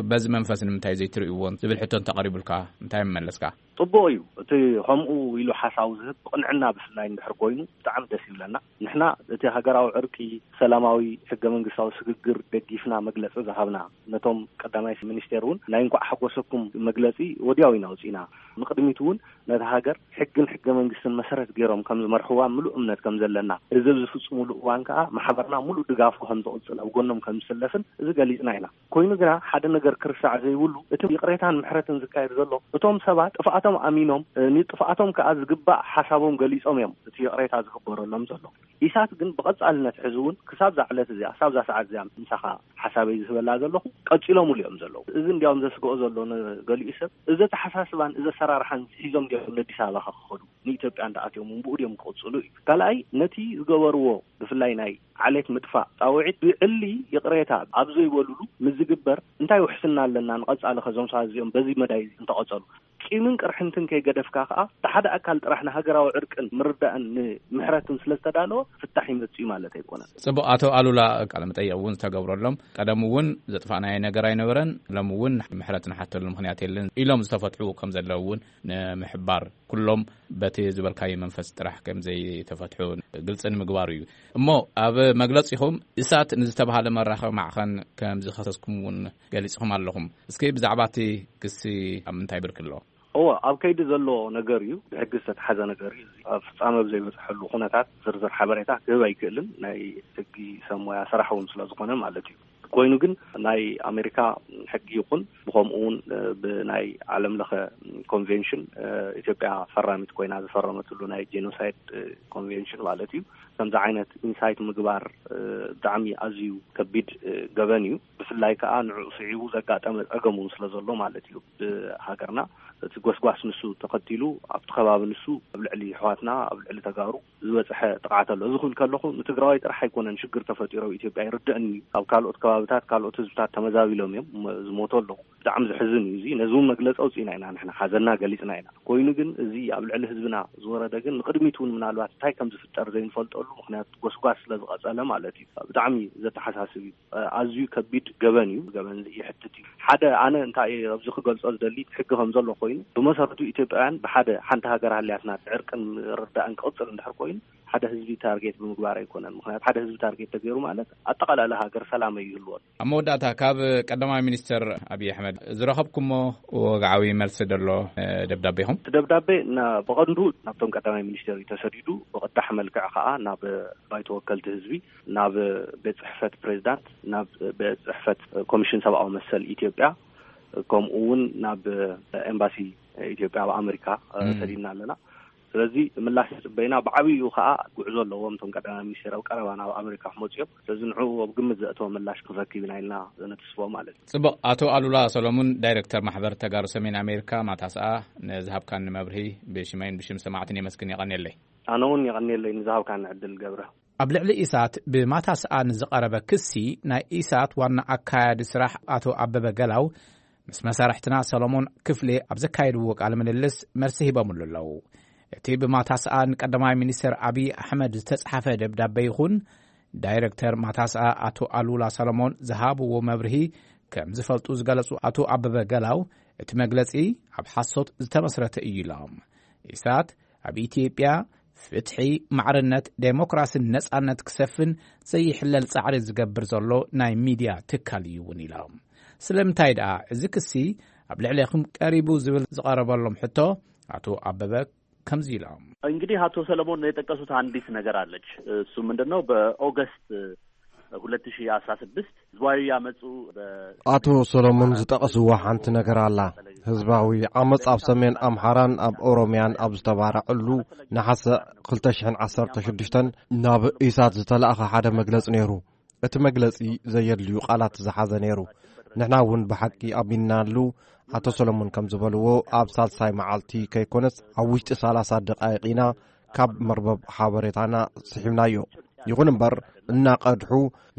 በዚ መንፈስ ንምንታይ ዘይትርእይዎን ዝብል ሕቶ እንተቐሪቡልካ እንታይ ምመለስካ? ጽቡቕ እዩ። እቲ ከምኡ ኢሉ ሓሳቡ ዝህብ ብቕንዕና ብፍላይ እንድሕር ኮይኑ ብጣዕሚ ደስ ይብለና። ንሕና እቲ ሃገራዊ ዕርቂ፣ ሰላማዊ ሕገ መንግስታዊ ስግግር ደጊፍና መግለጺ ዝሃብና፣ ነቶም ቀዳማይ ሚኒስቴር እውን ናይ እንኳዕ ሓጎሰኩም መግለጺ ወዲያው ኢና ኣውጺእና። ንቕድሚት እውን ነታ ሃገር ሕግን ሕገ መንግስትን መሰረት ገይሮም ከም ዝመርሕዋ ምሉእ እምነት ከም ዘለና፣ እዚ ኣብ ዝፍጽሙሉ እዋን ከዓ ማሕበርና ምሉእ ድጋፉ ከም ዝቕጽል፣ ኣብ ጎኖም ከም ዝስለፍን እዚ ገሊጽና ኢና። ኮይኑ ግና ሓደ ነገር ክርሳዕ ዘይብሉ፣ እቲ ይቕሬታን ምሕረትን ዝካየድ ዘሎ እቶም ሰባት ጥፍኣቶም ኣሚኖም፣ እ፣ ንጥፍኣቶም ከዓ ዝግባእ ሓሳቦም ገሊጾም እዮም እቲ ይቕሬታ ዝግበረሎም ዘሎ። ኢሳት ግን ብቐጻልነት ሕዚ እውን ክሳብ እዛ ዕለት እዚኣ፣ ክሳብ እዛ ሰዓት እዚኣ ምሳኻ ሓሳበይ ዝህበላ ዘለኹ፣ ቀጺሎምሉ እዮም ዘለዉ። እዚ እንዲያውም ዘስግኦ ዘሎ ንገሊኡ ሰብ፣ እዚ ኣተሓሳስባን እዚ ኣሰራርሓን ሒዞም እንዲያውም ነኣዲስ ኣበባ ክኸዱ፣ ንኢትዮጵያ እንዳኣትዮም እውን ብኡ ድዮም ክቕጽሉ እዩ። ካልኣይ፣ ነቲ ዝገበርዎ ብፍላይ ናይ ዓሌት ምጥፋእ ጻውዒት ብዕሊ ይቕሬታ ኣብ ዘይበሉሉ ምስ ዝግበር እንታይ ውሕስና ኣለና ንቐጻሊ ከዞም ሰባት እዚኦም በዚ መዳይ እንተቐጸሉ? ቂምን ቅርሕንትን ከይገደፍካ ከኣ፣ እቲ ሓደ ኣካል ጥራሕ ንሃገራዊ ዕርቅን ምርዳእን ንምሕረትን ስለ ዝተዳለወ ፍታሕ ይመጽእ እዩ ማለት ኣይኮነን። ጽቡቕ፣ ኣቶ ኣሉላ፣ ቃለ መጠይቕ እውን ዝተገብረሎም፣ ቀደም እውን ዘጥፋእናዮ ነገር ኣይነበረን፣ ሎም እውን ምሕረት ንሓተሉ ምኽንያት የለን ኢሎም ዝተፈትሑ ከም ዘለዉ እውን ንምሕባር፣ ኩሎም በቲ ዝበልካዮ መንፈስ ጥራሕ ከም ዘይተፈትሑ ግልጺ ንምግባሩ እዩ። እሞ ኣብ መግለጺኹም እሳት ንዝተባሃለ መራኸቢ ማዕኸን ከም ዝኸሰስኩም እውን ገሊጽኹም ኣለኹም። እስኪ ብዛዕባ እቲ ክሲ ኣብ ምንታይ ብርኪ ኣሎ? እወ፣ ኣብ ከይዲ ዘሎ ነገር እዩ፣ ብሕጊ ዝተትሓዘ ነገር እዩ። እዚ ኣብ ፍጻመ ኣብ ዘይበጽሐሉ ኩነታት ዝርዝር ሓበሬታ ክህብ ኣይክእልን፣ ናይ ሕጊ ሰብ ሞያ ስራሕ እውን ስለ ዝኾነ ማለት እዩ። ኮይኑ ግን ናይ ኣሜሪካ ሕጊ ይኹን ብኸምኡ እውን፣ እ፣ ብናይ ዓለም ለኸ ኮንቬንሽን፣ እ፣ ኢትዮጵያ ፈራሚት ኮይና ዝፈረመትሉ ናይ ጄኖሳይድ፣ እ፣ ኮንቬንሽን ማለት እዩ። ከምዚ ዓይነት ኢንሳይት ምግባር፣ እ፣ ብጣዕሚ ኣዝዩ ከቢድ፣ እ፣ ገበን እዩ። ብፍላይ ከዓ ንዕኡ ስዒቡ ዘጋጠመ ጸገም እውን ስለ ዘሎ ማለት እዩ። ብሃገርና እቲ ጎስጓስ ንሱ ተኸቲሉ ኣብቲ ከባቢ ንሱ ኣብ ልዕሊ ኣሕዋትና፣ ኣብ ልዕሊ ተጋሩ ዝበፅሐ ጥቕዓት ኣሎ። እዚ ክብል ከለኹ ንትግራዋይ ጥራሕ ኣይኮነን ሽግር ተፈጢሩ ኣብ ኢትዮጵያ ይርድእኒ። ኣብ ካልኦት ከባብታት ካልኦት ህዝብታት ተመዛቢሎም እዮም፣ ም-፣ ዝሞቱ ኣለዉ። ብጣዕሚ ዘሕዝን እዩ እዚ። ነዚ እውን መግለፂ ኣውፂእና ኢና፣ ንሕና ሓዘንና ገሊፅና ኢና። ኮይኑ ግን እዚ ኣብ ልዕሊ ህዝብና ዝወረደ ግን ንቕድሚት እውን ምናልባት እንታይ ከም ዝፍጠር ዘይንፈልጠሉ ምኽንያት ጎስጓስ ስለ ዝቐፀለ ማለት እዩ። ብጣዕሚ ዘተሓሳስብ እዩ። ኣዝዩ ከቢድ ገበን እዩ። ገበን ይሕትት እዩ። ሓደ ኣነ እንታይ እየ ኣብዚ ክገልጾ ዝደሊ፣ ሕጊ ከም ዘሎ ኮይኑ ብመሰረቱ ኢትዮጵያውያን ብሓደ ሓንቲ ሃገር ሃልያትና ዕርቅን ርዳእን ክቕጽል እንድሕር ኮይኑ ሓደ ህዝቢ ታርጌት ብምግባር ኣይኮነን። ምኽንያቱ ሓደ ህዝቢ ታርጌት ተገይሩ ማለት ኣጠቓላሊ ሃገር ሰላም ኣይህልዎን። ኣብ መወዳእታ ካብ ቀዳማይ ሚኒስትር ኣብይ ኣሕመድ ዝረኸብኩሞ ወግዓዊ መልሲ ደሎ ደብዳቤኹም? እቲ ደብዳቤ ና-፣ ብቐንዱ ናብቶም ቀዳማይ ሚኒስትር እዩ ተሰዲዱ። ብቕዳሕ መልክዕ ከዓ ናብ ባይቶ ወከልቲ ህዝቢ፣ ናብ ቤት ጽሕፈት ፕሬዚዳንት፣ ናብ ቤት ጽሕፈት ኮሚሽን ሰብኣዊ መሰል ኢትዮጵያ፣ ከምኡ እውን ናብ ኤምባሲ ኢትዮጵያ ኣብ ኣሜሪካ፣ እ፣ እም። ሰዲድና ኣለና። ስለዚ ምላሽ ንጽበይና ብዓብይኡ ከዓ ጉዕዞ ኣለዎም። እቶም ቀዳማይ ሚኒስትር ኣብ ቀረባ ናብ ኣሜሪካ ክመፁ እዮም። ስለዚ ንዕኡ ኣብ ግምት ዘእተወ ምላሽ ክንረክብ ኢና ኢልና ዘነትስፎ ማለት እዩ። ጽቡቕ። ኣቶ ኣሉላ ሰሎሙን፣ ዳይሬክተር ማሕበር ተጋሩ ሰሜን ኣሜሪካ ማታስኣ፣ ንዝሃብካኒ መብርሂ ብሽመይን ብሽም ሰማዕትን የመስግን። የቐንየለይ። ኣነ እውን የቐንየለይ ንዝሃብካኒ ዕድል ገብረ። ኣብ ልዕሊ ኢሳት ብማታስኣ ንዝቐረበ ክሲ፣ ናይ ኢሳት ዋና ኣካያዲ ስራሕ ኣቶ ኣበበ ገላው ምስ መሳርሕትና ሰሎሞን ክፍሌ ኣብ ዘካየድዎ ቃለ ምልልስ መልሲ ሂቦምሉ ኣለዉ። እቲ ብማታስኣ ንቀዳማይ ሚኒስትር ኣብይ ኣሕመድ ዝተጻሕፈ ደብዳቤ ይኹን ዳይረክተር ማታስኣ ኣቶ ኣሉላ ሰሎሞን ዝሃብዎ መብርሂ ከም ዝፈልጡ ዝገለጹ ኣቶ ኣበበ ገላው፣ እቲ መግለጺ ኣብ ሓሶት ዝተመስረተ እዩ ኢሎም። ኢሳት ኣብ ኢትዮጵያ ፍትሒ፣ ማዕርነት፣ ዴሞክራስን ነጻነት ክሰፍን ዘይሕለል ጻዕሪ ዝገብር ዘሎ ናይ ሚድያ ትካል እዩ እውን ኢሎም። ስለምንታይ ደኣ እዚ ክሲ ኣብ ልዕሌኹም ቀሪቡ ዝብል ዝቐረበሎም ሕቶ፣ ኣቶ ኣበበ ከምዚ ኢሎም። እንግዲህ አቶ ሰለሞን የጠቀሱት አንዲት ነገር አለች። እሱ ምንድን ነው? በኦገስት ሁለት ሺህ አስራ ስድስት ህዝባዊ ያመፁ በ- ኣቶ ሰሎሞን ዝጠቐስዎ ሓንቲ ነገር ኣላ። ህዝባዊ ዓመፅ ኣብ ሰሜን ኣምሓራን ኣብ ኦሮምያን ኣብ ዝተባረዐሉ ነሓሰ ክልተ ሽሕን ዓሰርተ ሽዱሽተን ናብ ኢሳት ዝተላእኸ ሓደ መግለፂ ነይሩ። እቲ መግለፂ ዘየድልዩ ቃላት ዝሓዘ ነይሩ። ንሕና እውን ብሓቂ ኣሚንናሉ። ኣቶ ሰሎሞን ከም ዝበልዎ፣ ኣብ ሳልሳይ መዓልቲ ከይኮነስ ኣብ ውሽጢ ሰላሳ ደቃይቕ ኢና ካብ መርበብ ሓበሬታና ስሒብናዮ። ይኹን እምበር፣ እናቐድሑ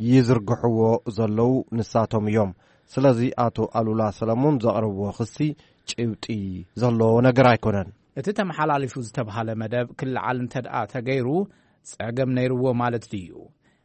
ይዝርግሕዎ ዘለዉ ንሳቶም እዮም። ስለዚ ኣቶ ኣሉላ ሰለሞን ዘቕረብዎ ክሲ ጭብጢ ዘለዎ ነገር ኣይኮነን። እቲ ተመሓላሊፉ ዝተብሃለ መደብ ክለዓል እንተ ደኣ ተገይሩ ጸገም ነይርዎ ማለት ድዩ?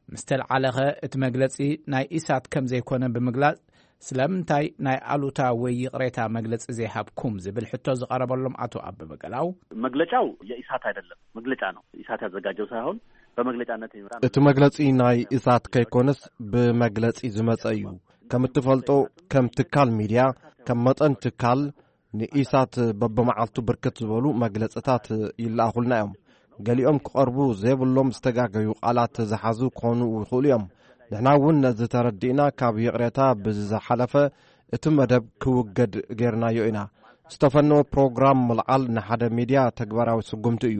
ምስ ተልዓለኸ እቲ መግለጺ ናይ ኢሳት ከም ዘይኮነ ብምግላጽ፣ ስለምንታይ ናይ ኣሉታ ወይ ይቕሬታ መግለጺ ዘይሃብኩም ዝብል ሕቶ ዝቐረበሎም ኣቶ ኣበበ ገላው፣ መግለጫው የኢሳት አይደለም፣ መግለጫ ነው። ኢሳት ያዘጋጀው ሳይሆን በመግለጫነት የሚመራ ነው። እቲ መግለጺ ናይ ኢሳት ከይኮነስ ብመግለጺ ዝመጸ እዩ። ከም እትፈልጦ፣ ከም ትካል ሚድያ፣ ከም መጠን ትካል፣ ንኢሳት በብመዓልቱ ብርክት ዝበሉ መግለጽታት ይለኣኹልና እዮም። ገሊኦም ክቐርቡ ዘይብሎም ዝተጋገዩ ቃላት ዝሓዙ ክኾኑ ይኽእሉ እዮም። ንሕና እውን ነዚ ተረዲእና፣ ካብ ይቕሬታ ብዝሓለፈ እቲ መደብ ክውገድ ጌርናዮ ኢና። ዝተፈነወ ፕሮግራም ምልዓል ንሓደ ሚድያ ተግባራዊ ስጉምቲ እዩ።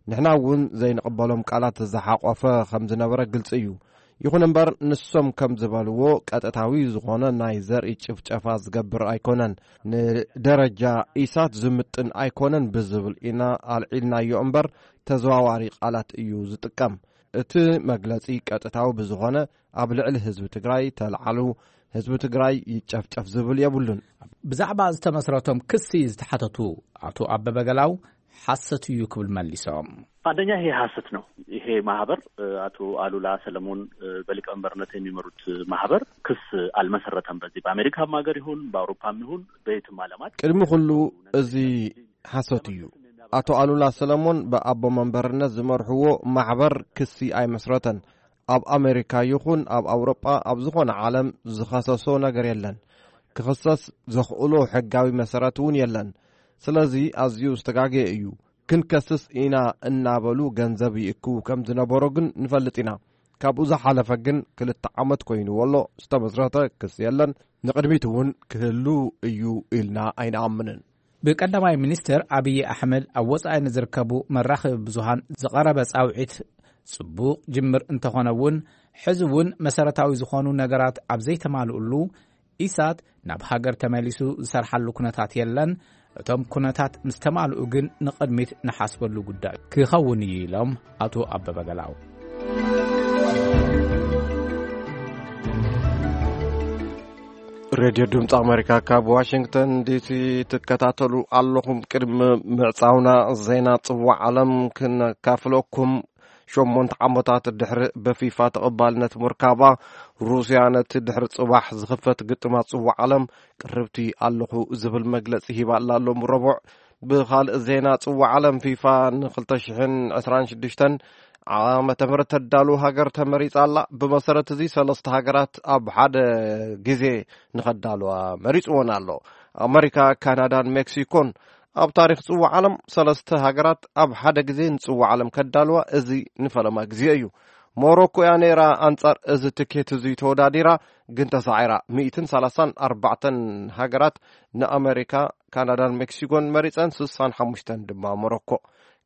ንሕና እውን ዘይንቕበሎም ቃላት ዝሓቆፈ ከም ዝነበረ ግልጺ እዩ። ይኹን እምበር፣ ንሶም ከም ዝበልዎ፣ ቀጥታዊ ዝኾነ ናይ ዘርኢ ጭፍጨፋ ዝገብር ኣይኮነን። ንደረጃ ኢሳት ዝምጥን ኣይኮነን ብዝብል ኢና ኣልዒልናዮ እምበር፣ ተዘዋዋሪ ቃላት እዩ ዝጥቀም። እቲ መግለጺ ቀጥታዊ ብዝኾነ ኣብ ልዕሊ ህዝቢ ትግራይ ተልዓሉ፣ ህዝቢ ትግራይ ይጨፍጨፍ ዝብል የብሉን። ብዛዕባ ዝተመስረቶም ክሲ ዝተሓተቱ ኣቶ ኣበበ ገላው፣ ሓሰት እዩ ክብል መሊሶም። አንደኛ፣ ይሄ ሐሰት ነው። ይሄ ማህበር፣ እ፣ አቶ አሉላ ሰለሞን፣ እ፣ በሊቀመንበርነት የሚመሩት ማህበር ክስ አልመሰረተም። በዚህ በአሜሪካም ሀገር ይሁን በአውሮፓም ይሁን በየትም ዓለማት ቅድሚ ኩሉ፣ እዚ ሓሶት እዩ። ኣቶ ኣሉላ ሰለሞን ብኣቦ መንበርነት ዝመርሕዎ ማሕበር ክሲ ኣይመስረተን። ኣብ ኣሜሪካ ይኹን ኣብ ኣውሮጳ፣ ኣብ ዝኾነ ዓለም ዝኸሰሶ ነገር የለን። ክኽሰስ ዘኽእሎ ሕጋዊ መሰረት እውን የለን። ስለዚ ኣዝዩ ዝተጋገየ እዩ። ክንከስስ ኢና እናበሉ ገንዘብ ይእክቡ ከም ዝነበሮ ግን ንፈልጥ ኢና። ካብኡ ዝሓለፈ ግን ክልተ ዓመት ኮይንዎ ኣሎ፣ ዝተመስረተ ክስ የለን። ንቕድሚት እውን ክህሉ እዩ ኢልና ኣይንኣምንን። ብቀዳማይ ሚኒስትር ኣብይ ኣሕመድ ኣብ ወጻኢ ንዝርከቡ መራኸቢ ብዙሃን ዝቐረበ ጻውዒት ጽቡቕ ጅምር እንተኾነ እውን፣ ሕዚ እውን መሰረታዊ ዝኾኑ ነገራት ኣብ ዘይተማልኡሉ፣ ኢሳት ናብ ሃገር ተመሊሱ ዝሰርሓሉ ኩነታት የለን። እቶም ኩነታት ምስ ተማልኡ ግን ንቕድሚት ንሓስበሉ ጉዳይ ክኸውን እዩ ኢሎም ኣቶ ኣበበ ገላው። ሬድዮ ድምፂ ኣሜሪካ ካብ ዋሽንግተን ዲሲ ትከታተሉ ኣለኹም። ቅድሚ ምዕፃውና ዜና ፅዋዕ ዓለም ክነካፍለኩም። ሸሞንተ ዓመታት ድሕሪ ብፊፋ ተቐባልነት ምርካባ፣ ሩስያ ነቲ ድሕሪ ጽባሕ ዝኽፈት ግጥማት ጽዋዕ ዓለም ቅርብቲ ኣለኹ ዝብል መግለጺ ሂባ ኣላ ሎም ረቡዕ። ብኻልእ ዜና፣ ጽዋዕ ዓለም ፊፋ ንክልተ ሽሕን ዕስራን ሽዱሽተን ዓመተ ምህረት ተዳሉ ሃገር ተመሪጻ ኣላ። ብመሰረት እዚ፣ ሰለስተ ሃገራት ኣብ ሓደ ግዜ ንኸዳልዋ መሪጽወን ኣሎ። ኣመሪካ፣ ካናዳን ሜክሲኮን። ኣብ ታሪኽ ጽዋዕ ዓለም፣ ሰለስተ ሃገራት ኣብ ሓደ ግዜ ንጽዋዕ ዓለም ከዳልዋ፣ እዚ ንፈለማ ግዜ እዩ። ሞሮኮ እያ ነይራ ኣንጻር እዚ ትኬት እዚ ተወዳዲራ፣ ግን ተሳዒራ። ሚእትን ሰላሳን ኣርባዕተን ሃገራት ንኣመሪካ፣ ካናዳን ሜክሲኮን መሪጸን፣ ስሳን ሓሙሽተን ድማ ሞሮኮ።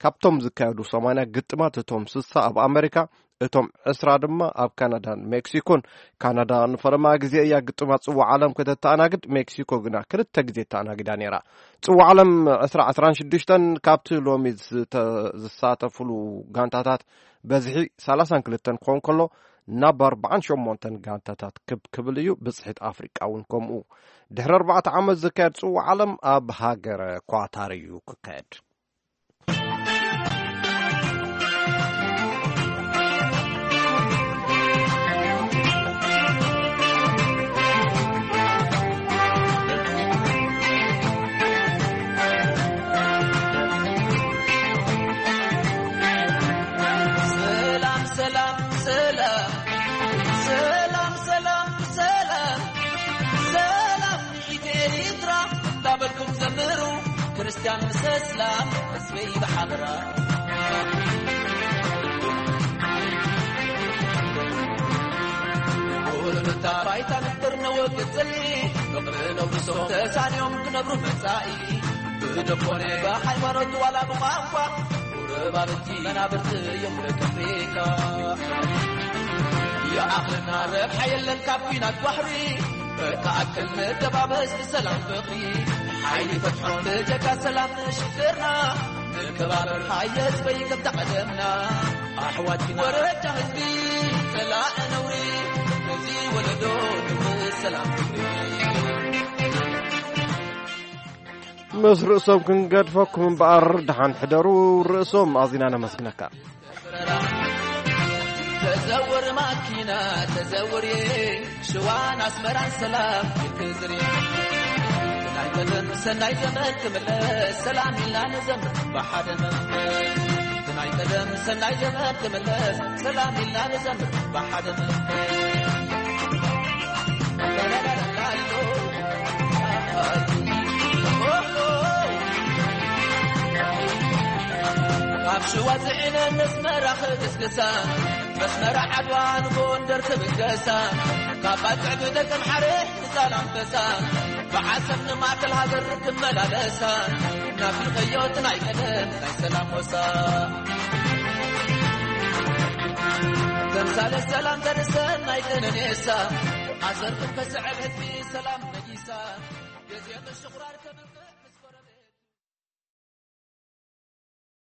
ካብቶም ዝካየዱ ሰማንያ ግጥማት፣ እቶም ስሳ ኣብ ኣመሪካ፣ እቶም ዕስራ ድማ ኣብ ካናዳን ሜክሲኮን። ካናዳ ንፈለማ ግዜ እያ ግጥማት ጽዋዕ ዓለም ከተተኣናግድ፣ ሜክሲኮ ግና ክልተ ግዜ ተኣናጊዳ ነይራ። ጽዋዕ ዓለም ዕስራ ዕስራን ሽዱሽተን ካብቲ ሎሚ ዝተ-፣ ዝሳተፉሉ ጋንታታት በዝሒ ሰላሳን ክልተን ክኸውን ከሎ፣ ናብ ኣርባዓን ሸሞንተን ጋንታታት ክብ ክብል እዩ። ብጽሒት ኣፍሪቃ እውን ከምኡ። ድሕሪ ኣርባዕተ ዓመት ዝካየድ ጽዋዕ ዓለም ኣብ ሃገረ ኳታር እዩ ክካየድ። ሰላም፣ ሰላም፣ ሰላም። ሰላም፣ ሰላም፣ ሰላም። ሰላም ንኢትዮ ኤርትራ እንዳበልኩም ዘምሩ፣ ክርስትያን ምስ እስላም ህዝበይ ብሓበራ። ኩሉ ነታ ባይታ ንፍጥር ነወግድ ጽልኢ፣ ፍቕሪ ነውርሶም ተሳንዮም ክነብሩ መጻኢ። ብደኮነ ብሃይማኖት ዋላ ብቋንቋ፣ ጎረባብቲ መናብርቲ እዮም ደቂ ኣፍሪቃ። ይኣኽለና ረብሓ የለን ካብ ኲናት ባሕሪ፣ እተኣክል ንደባበስ ብሰላም ፍቕሪ። ሓይሊ ፈትሖ ብጀካ ሰላም ንሽግርና፣ ንከባበር ሃየ ህዝበይ ከምታ ቀደምና። ኣሕዋት ወረጃ ህዝቢ ጸላኢ ነውሪ፣ ነዚ ወለዶ ንውስ ሰላም ፍቕሪ። ምስ ርእሶም ክንገድፈኩም እምበኣር፣ ደሓን ሕደሩ። ርእሶም ኣዚና ነመስግነካ። ተዘውር ማኪና ተዘውር ሽዋን ኣስመራን ሰላም ክዝሪ ናይ ቀደም ሰናይ ዘመን ክምለስ ሰላም ኢልና ንዘምር ብሓደ መንፈስ ናይ ቀደም ሰናይ ዘመን ክምለስ ሰላም ኢልና ንዘምር ብሓደ መንፈስ ካብ ሽዋ ዝዒነ መስመራ ክግስግሳ መስመራ ዓድዋ ንጎንደር ክብገሳ ካብ ባጽዕ ብደቀምሓረ ዛላንበሳ ብዓሰብ ንማእከል ሃገር ክመላለሳ ናፊቐዮ እቲ ናይ ቀደም ናይ ሰላም ወሳ ተምሳሌ ሰላም ተርሰን ናይ ቀነኔሳ ኣሰርኩም ከስዕብ ህዝቢ ሰላም ነጊሳ ግዜ ምሽቑራር ከብል